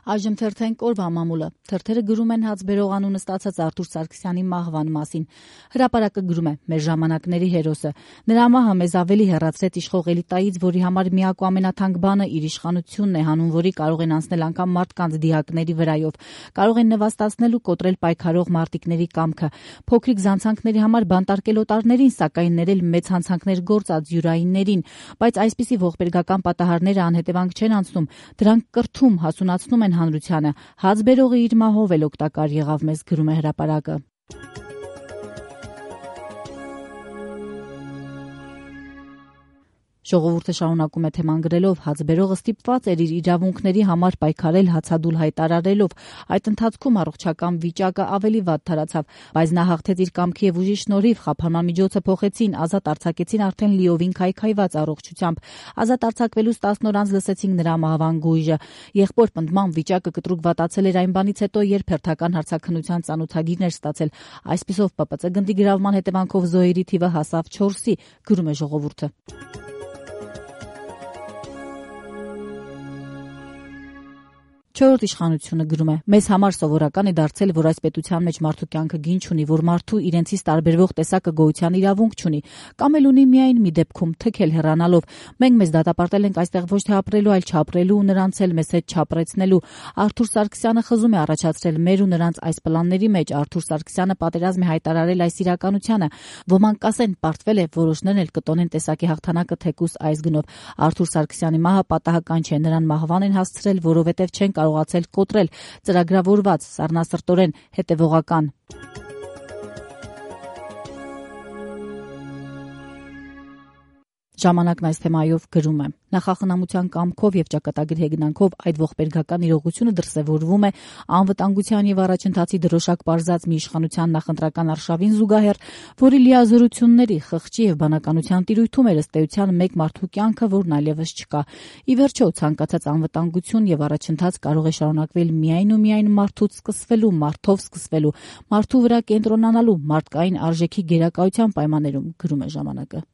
Այժմ թերթենք օրվա մամուլը։ Թերթերը գրում են հացբերող անունը ստացած Արթուր Սարգսյանի մահվան մասին։ Հրապարակը գրում է. մեր ժամանակների հերոսը։ Նրա մահը մեզ ավելի հեռացրեց իշխող էլիտայից, որի համար միակ ու ամենաթանկ բանը իր իշխանությունն է, հանուն որի կարող են անցնել անգամ մարդկանց դիակների վրայով։ Կարող են նվաստացնել ու կոտրել պայքարող մարտիկների կամքը։ Փոքրիկ զանցանքների համար բանտարկել օտարներին, սակայն ներել մեծ հանցանքներ գործած յուրայիններին։ Բայց այսպիսի ողբերգական պատահարները անհետևանք չեն անցնում, դրանք կրթում, հասունացնում են հանրությանը։ Հացբերողը իր մահով էլ օգտակար եղավ մեզ, գրում է հրապարակը։ Ժողովուրդը շարունակում է թեման գրելով. հացբերողը ստիպված էր իր իրավունքների համար պայքարել հացադուլ հայտարարելով։ Այդ ընթացքում առողջական վիճակը ավելի վատ թարացավ, բայց նա հաղթեց իր կամքի եւ ուժի շնորհիվ, խափանման միջոցը փոխեցին, ազատ արձակեցին արդեն լիովին քայքայված առողջությամբ։ Ազատ արձակվելուց 10 օր անց լսեցինք նրա մահվան գույժը։ Եղբոր պնդման վիճակը կտրուկ վատացել էր այն բանից հետո, երբ հերթական հարցաքննության ծանոթագիրն էր ստացել։ Այսպիսով ՊՊՑ գնդի գրավման հետևանքով զոհերի թիվը հասավ 4-ի, գրում է ժողովուրդը։ Չորրորդ իշխանությունը գրում է. մեզ համար սովորական է դարձել, որ այս պետության մեջ մարդու կյանքը գին չունի, որ մարդու իրենցից տարբերվող տեսակը գոյության իրավունք չունի, կամ էլ ունի միայն մի դեպքում թքել հեռանալով։ Մենք մեզ դատապարտել ենք այստեղ ոչ թե ապրելու, այլ չապրելու ու նրանց էլ մեզ հետ չապրեցնելու։ Արթուր Սարգսյանը խզում է առաջացրել մեր ու նրանց այս պլանների մեջ։ Արթուր Սարգսյանը պատերազմ է հայտարարել այս իրականությանը։ Ոմանք կասեն, պարտվել է, որոշներն էլ կտոնեն տեսակի հաղթանակը թեկուս այս գնով։ Արթուր Սարգսյանի մահը պատահական չէ, նրան մահվան են հասցրել, որովհետև չեն կարողացել կոտրել, ծրագրավորված, սառնասրտորեն, հետևողական։ Ժամանակն այս թեմայով գրում է. նախախնամության կամքով եւ ճակատագրի հեգնանքով այդ ողբերգական իրողությունը դրսևորվում է անվտանգության եւ առաջընթացի դրոշակ պարզած մի իշխանության նախընտրական արշավին զուգահեռ, որի լիազորությունների, խղճի եւ բանականության տիրույթում էր ըստ էության մեկ մարդու կյանքը, որն այլևս չկա։ Ի վերջո, ցանկացած անվտանգություն եւ առաջընթաց կարող է շարունակվել միայն ու միայն մարդուց սկսվելու, մարդով սկսվելու, մարդու վրա կենտրոնանալու, մարդկային արժեքի գերակայության պայմաններում, գրում է ժամանակը։